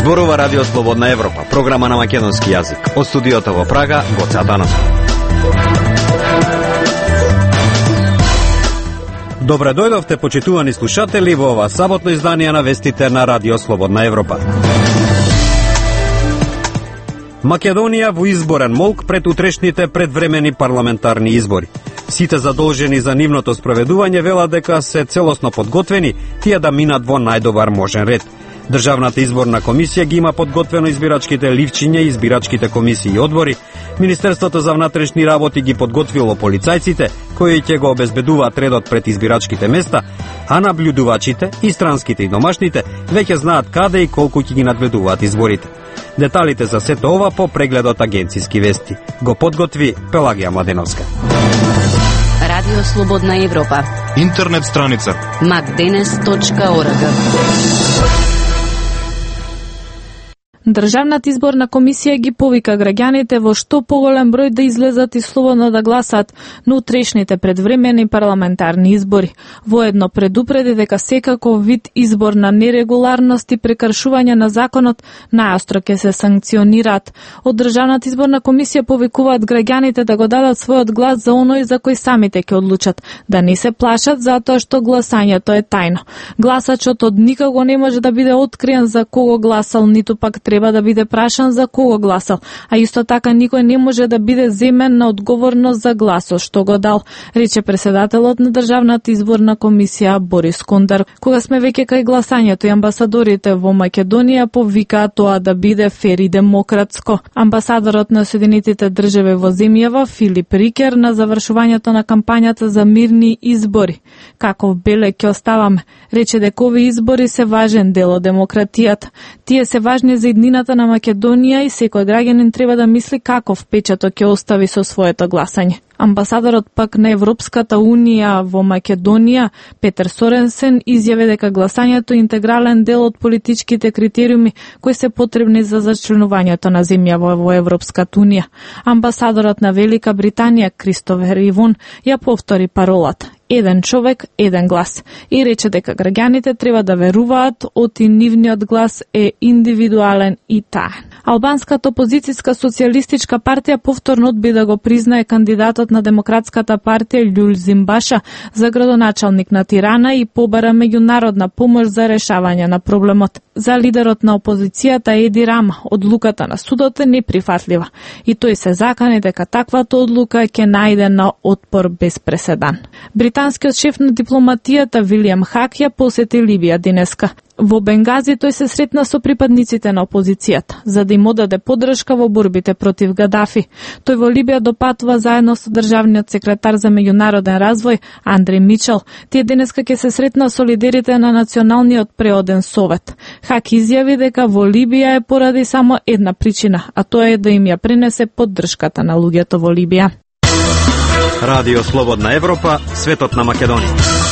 Зборува Радио Слободна Европа, програма на македонски јазик. Од студиото во Прага, Гоце Атанасов. Добре дојдовте, почитувани слушатели, во ова саботно издание на вестите на Радио Слободна Европа. Македонија во изборен молк пред утрешните предвремени парламентарни избори. Сите задолжени за нивното спроведување велат дека се целосно подготвени тие да минат во најдобар можен ред. Државната изборна комисија ги има подготвено избирачките ливчиња и избирачките комисии и одбори. Министерството за внатрешни работи ги подготвило полицајците, кои ќе го обезбедуваат редот пред избирачките места, а наблюдувачите и странските и домашните веќе знаат каде и колку ќе ги надгледуваат изборите. Деталите за сето ова по прегледот Агенцијски вести. Го подготви Пелагија Младеновска. Радио Слободна Европа. Интернет страница macdenes.org. Државната изборна комисија ги повика граѓаните во што поголем број да излезат и слободно да гласат на утрешните предвремени парламентарни избори. Воедно предупреди дека секаков вид избор на нерегуларност и прекршување на законот најостро ќе се санкционираат. Од Државната изборна комисија повикуваат граѓаните да го дадат својот глас за оној за кој самите ќе одлучат, да не се плашат затоа што гласањето е тајно. Гласачот од никаго не може да биде откриен за кого гласал, ниту пак треба да биде прашан за кого гласал, а исто така никој не може да биде земен на одговорност за гласот што го дал, рече председателот на Државната изборна комисија Борис Кондар. Кога сме веќе кај гласањето и амбасадорите во Македонија повикаат тоа да биде фер и демократско. Амбасадорот на Соединетите држави во земјава Филип Рикер на завршувањето на кампањата за мирни избори. Каков белег ќе оставаме, рече дека овие избори се важен дел од демократијата. Тие се важни за иднината на Македонија и секој граѓанин треба да мисли каков печаток ќе остави со своето гласање. Амбасадорот пак на Европската унија во Македонија, Петер Соренсен, изјави дека гласањето е интегрален дел од политичките критериуми кои се потребни за зачленувањето на земјава во Европската унија. Амбасадорот на Велика Британија, Кристофер Ивон, ја повтори паролата: еден човек, еден глас, и рече дека граѓаните треба да веруваат оти нивниот глас е индивидуален и таен. Албанската опозицијска социјалистичка партија повторно одби да го признае кандидатот на Демократската партија Љулј Зимбаша за градоначалник на Тирана и побара меѓународна помош за решавање на проблемот. За лидерот на опозицијата Еди Рама, одлуката на судот е неприфатлива и тој се закани дека таквата одлука ќе најде на отпор без преседан. Британскиот шеф на дипломатијата Вилијам Хак ја посети Либија денеска. Во Бенгази тој се сретна со припадниците на опозицијата, за да им одаде поддршка во борбите против Гадафи. Тој во Либија допатува заедно со државниот секретар за меѓународен развој Андреј Мичел. Тие денеска ќе се сретна со лидерите на Националниот преоден совет. Хак изјави дека во Либија е поради само една причина, а тоа е да им ја пренесе поддршката на луѓето во Либија. Радио Слободна Европа, светот на Македонија.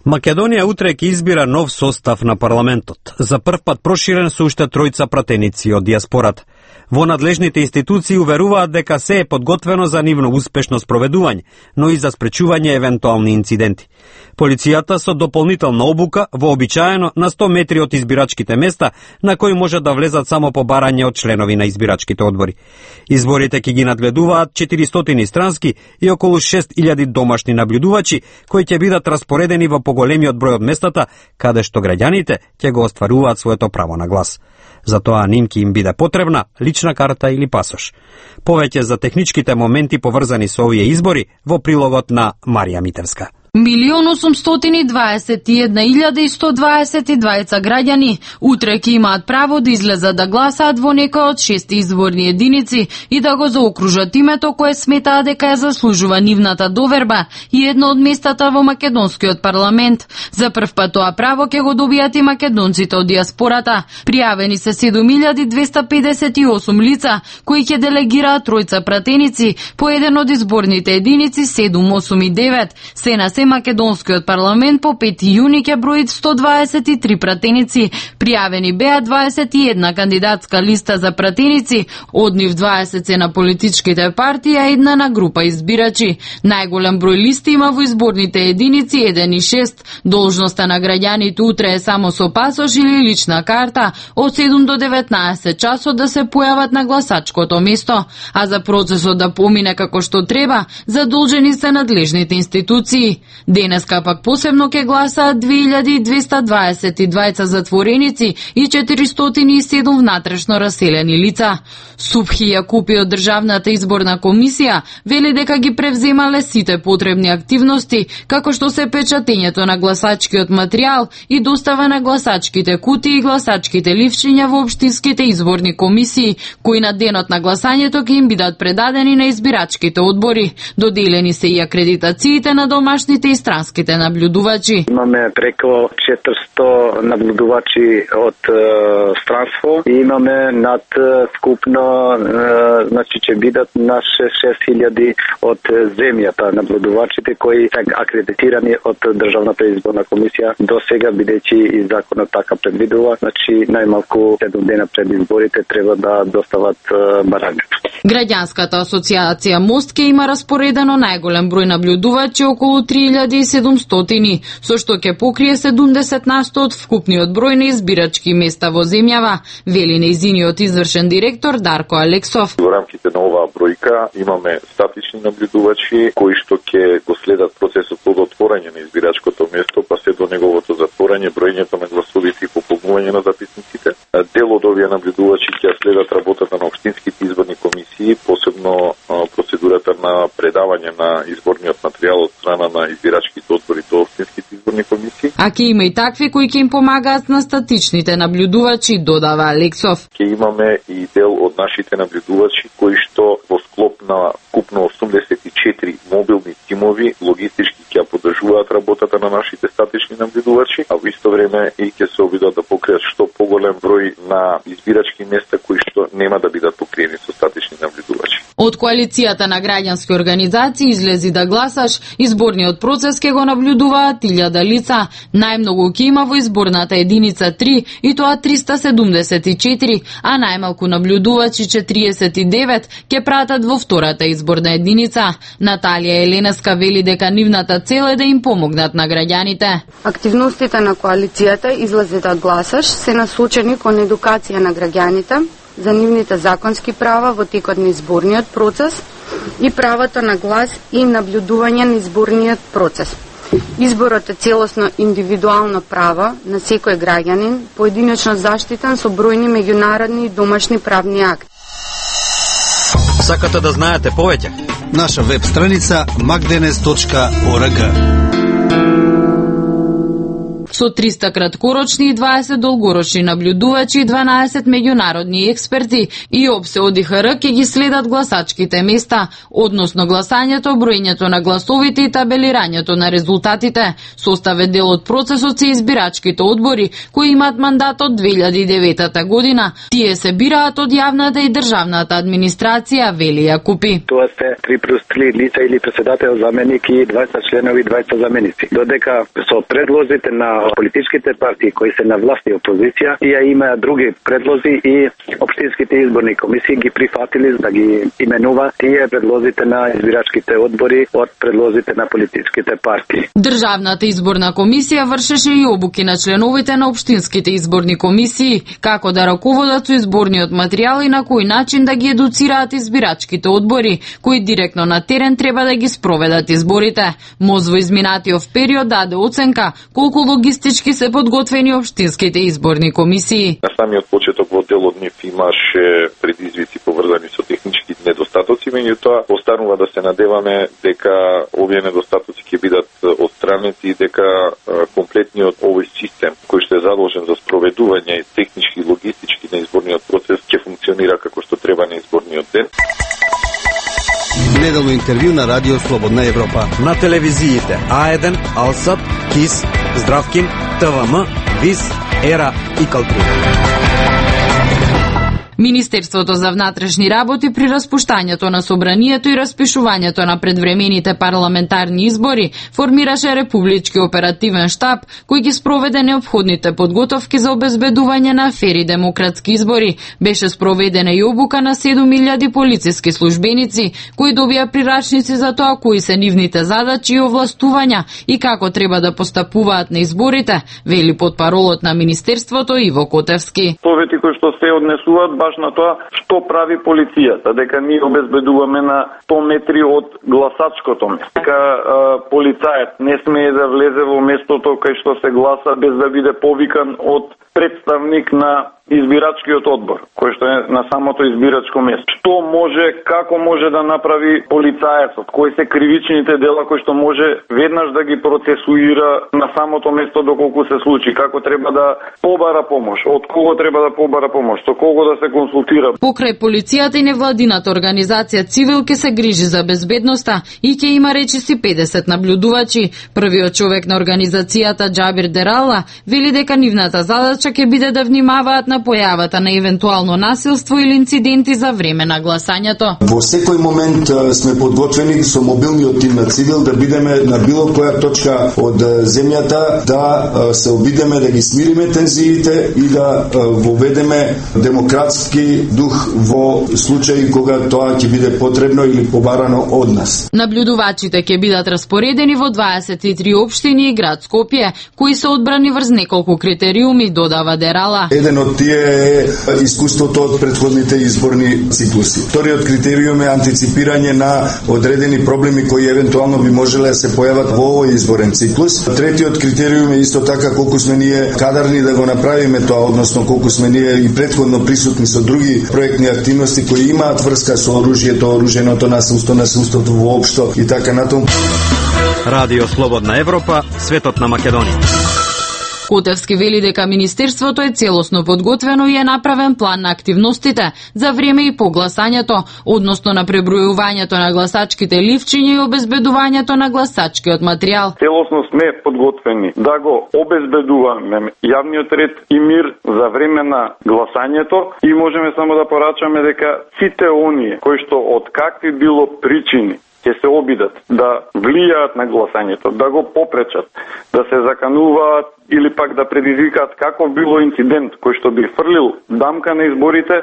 Македонија утре ќе избира нов состав на парламентот, за прв пат проширен со уште тројца пратеници од диаспората. Во надлежните институции уверуваат дека се е подготвено за нивно успешно спроведување, но и за спречување евентуални инциденти. Полицијата со дополнителна обука вообичаено на 100 метри од избирачките места на кои може да влезат само по барање од членови на избирачките одбори. Изборите ќе ги надгледуваат 400 странски и околу 6000 домашни наблюдувачи кои ќе бидат распоредени во поголемиот број од местата каде што граѓаните ќе го остваруваат своето право на глас. За тоа ним ќе им биде потребна лична карта или пасош. Повеќе за техничките моменти поврзани со овие избори во прилогот на Марија Митевска. 1.821.122 граѓани утре ќе имаат право да излезат да гласаат во некој од 6 изборни единици и да го заокружат името кое сметаат дека ја заслужува нивната доверба и едно од местата во македонскиот парламент. За прв пат тоа право ќе го добијат и македонците од диаспората. Пријавени се 7258 лица кои ќе делегираат тројца пратеници по еден од изборните единици 7, 8 и 9. Се на Семакедонскиот парламент по 5 јуни ќе брои 123 пратеници. Пријавени беа 21 кандидатска листа за пратеници, од нив 20 се на политичките партии, а една на група избирачи. Најголем број листи има во изборните единици 1 и 6. Должноста на граѓаните утре е само со пасош или лична карта, од 7 до 19 часот да се појават на гласачкото место, а за процесот да помине како што треба, задолжени се надлежните институции. Денеска пак посебно ќе гласаат 2222 затвореници и 407 внатрешно раселени лица. Субхи Јакупи од Државната изборна комисија вели дека ги превземале сите потребни активности, како што се печатењето на гласачкиот материјал и достава на гласачките кутии и гласачките ливчиња во општинските изборни комисии, кои на денот на гласањето ќе им бидат предадени на избирачките одбори. Доделени се и акредитациите на домашните и странските наблюдувачи. Имаме преку 400 наблюдувачи од странство и имаме над скупно, значи ќе бидат на 6000 од земјата наблюдувачите кои се акредитирани од Државната изборна комисија до сега, бидејќи и законот така предвидува, значи најмалку 7 дена пред изборите треба да достават барањето. Граѓанската асоциација Мост ќе има распоредено најголем број наблюдувачи, околу 3700, со што ќе покрие 70% од вкупниот број на избирачки места во земјава, вели нејзиниот извршен директор Дарко Алексов. Во рамките на оваа бројка имаме статични наблюдувачи кои што ќе го следат процесот од отворање на избирачкото место па се до неговото затворање, броењето на гласовите и пополнување на записниците. Дел од овие наблюдувачи ќе следат работата на општинските изборни комисии, посебно процедурата на предавање на изборниот материјал од страна на избирачките одбори до општинските изборни комисии. А ќе има и такви кои ќе им помагаат на статичните наблюдувачи, додава Алексов. Ќе имаме и дел од нашите наблюдувачи кои што во склоп на купно 84 мобилни тимови логистички ќе поддржуваат работата на нашите статични наблюдувачи, а во исто време и ќе се обидат да покријат што поголем број на избирачки места кои што нема да бидат покриени со статични наблюдувачи. Од коалицијата на граѓански организации Излези да гласаш, изборниот процес ќе го наблюдуваат 1000 лица. Најмногу ќе има во изборната единица 3 и тоа 374, а најмалку наблюдувачи 49 ќе пратат во втората изборна единица. Наталија Еленеска вели дека нивната цел е да им помогнат на граѓаните. Активностите на коалицијата Излези да гласаш се насочени кон едукација на граѓаните за нивните законски права во текот на изборниот процес и правото на глас и наблюдување на изборниот процес. Изборот е целосно индивидуално право на секој граѓанин, поединечно заштитен со бројни меѓународни и домашни правни акти. Сакате да знаете повеќе? Наша веб страница magdenes.org. Со 300 краткорочни и 20 долгорочни наблюдувачи и 12 меѓународни експерти и ОПСЕ ОДИХР ќе ги следат гласачките места, односно гласањето, броењето на гласовите и табелирањето на резултатите. Состав е дел од процесот се избирачките одбори кои имаат мандат од 2009 година. Тие се бираат од јавната и државната администрација, вели Јакупи. Тоа се 3+3 лица или председател, заменик и 20 членови, 20 заменици. Додека со предлозите на политичките партии кои се на власт и опозиција, тие има други предлози и општинските изборни комисии ги прифатили да ги именува тие предлозите на избирачките одбори од предлозите на политичките партии. Државната изборна комисија вршеше и обуки на членовите на општинските изборни комисии, како да раководат со изборниот материјал и на кој начин да ги едуцираат избирачките одбори, кои директно на терен треба да ги спроведат изборите. МОЗ во изминатиот период даде оценка колку логистички се подготвени општинските изборни комисии. На самиот почеток во дел од нив имаше предизвици поврзани со технички недостатоци, меѓутоа останува да се надеваме дека овие недостатоци ќе бидат отстранети и дека комплетниот овој систем кој што е задолжен за спроведување технички и логистички на изборниот процес ќе функционира како што треба на изборниот ден. Неделно интервју на Радио Слободна Европа. На телевизиите А1, Алсат, КИС, Здравкин, ТВМ, ВИС, ЕРА и Калтри. Министерството за внатрешни работи при распуштањето на собранието и распишувањето на предвремените парламентарни избори формираше републички оперативен штаб кој ги спроведе неопходните подготовки за обезбедување на фери демократски избори. Беше спроведена и обука на 7000 полициски службеници кои добија прирачници за тоа кои се нивните задачи и овластувања и како треба да постапуваат на изборите, вели потпаролот на Министерството Иво Котевски. Совети кои што се однесуваат баш на тоа што прави полицијата, дека ние обезбедуваме на 100 метри од гласачкото место. Дека полицајот не смее да влезе во местото кај што се гласа без да биде повикан од представник на избирачкиот одбор, кој што е на самото избирачко место. Што може, како може да направи полицајецот, кои се кривичните дела кои што може веднаш да ги процесуира на самото место доколку се случи, како треба да побара помош, од кого треба да побара помош, со кого да се консултира. Покрај полицијата и невладината организација Цивил ке се грижи за безбедноста и ќе има речиси 50 наблюдувачи. Првиот човек на организацијата Џабир Дерала вели дека нивната задача ќе биде да внимаваат на појавата на евентуално насилство или инциденти за време на гласањето. Во секој момент сме подготвени со мобилниот тим на Цивил да бидеме на било која точка од земјата, да се обидеме да ги смириме тензиите и да воведеме демократски дух во случаи кога тоа ќе биде потребно или побарано од нас. Наблюдувачите ќе бидат распоредени во 23 општини и град Скопје, кои се одбрани врз неколку критериуми, додава Дерала. Еден од тие е искуството од претходните изборни циклуси. Вториот критериум е антиципирање на одредени проблеми кои евентуално би можеле да се појават во овој изборен циклус. Третиот критериум е исто така колку сме ние кадарни да го направиме тоа, односно колку сме ние и претходно присутни со други проектни активности кои имаат врска со оружјето, оруженото насилство, насилството воопшто и така натаму. Радио Слободна Европа, светот на Македонија. Котевски вели дека Министерството е целосно подготвено и е направен план на активностите за време и по гласањето, односно на пребројувањето на гласачките ливчиња и обезбедувањето на гласачкиот материјал. Целосно сме подготвени да го обезбедуваме јавниот ред и мир за време на гласањето и можеме само да порачаме дека сите оние кои што од какви било причини ќе се обидат да влијаат на гласањето, да го попречат, да се закануваат или пак да предизвикаат каков било инцидент кој што би фрлил дамка на изборите,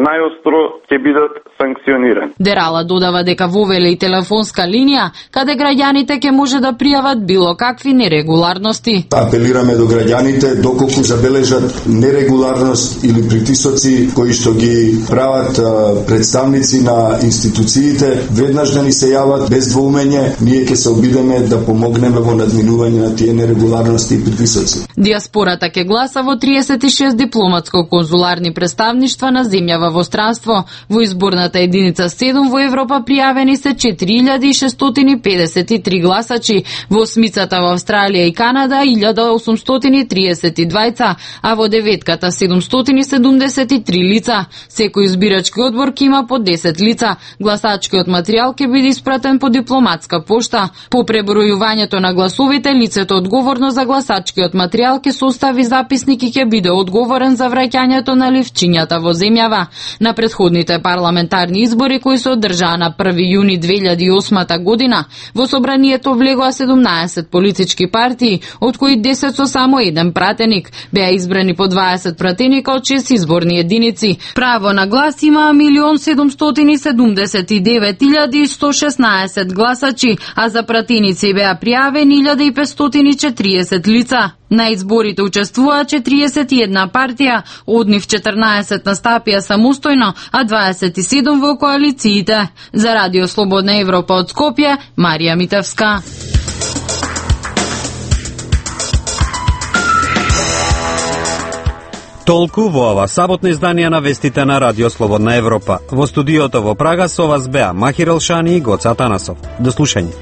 најостро ќе бидат санкционирани. Дерала додава дека вовеле и телефонска линија каде граѓаните ќе може да пријават било какви нерегуларности. Апелираме до граѓаните доколку забележат нерегуларност или притисоци кои што ги прават представници на институциите, веднаш да ни се јават без двоумење, ние ќе се обидеме да помогнеме во надминување на тие нерегуларности и притисоци. Диаспората ќе гласа во 36 дипломатско-конзуларни представништва на земја во странство. Во изборната единица 7 во Европа пријавени се 4653 гласачи, во осмицата во Австралија и Канада 1832, а во деветката 773 лица. Секој избирачки одбор ќе има по 10 лица. Гласачкиот материјал ќе биде испратен по дипломатска пошта. По пребројувањето на гласовите, лицето одговорно за гласачкиот материјал ќе состави записник и ќе биде одговорен за враќањето на ливчињата во земјава. На претходните парламентарни избори кои се одржаа на 1 јуни 2008 година, во собранието влегоа 17 политички партии, од кои 10 со само еден пратеник. Беа избрани по 20 пратеника од 6 изборни единици. Право на глас има 1.779.116 гласачи, а за пратеници беа пријавени 1540 лица. На изборите учествуваа 41 партија, од нив 14 настапија самостојно, а 27 во коалициите. За Радио Слободна Европа од Скопје, Марија Митевска. Толку во ова саботно издание на вестите на Радио Слободна Европа. Во студиото во Прага со вас беа Махир Елшани и Гоца Атанасов. До слушање.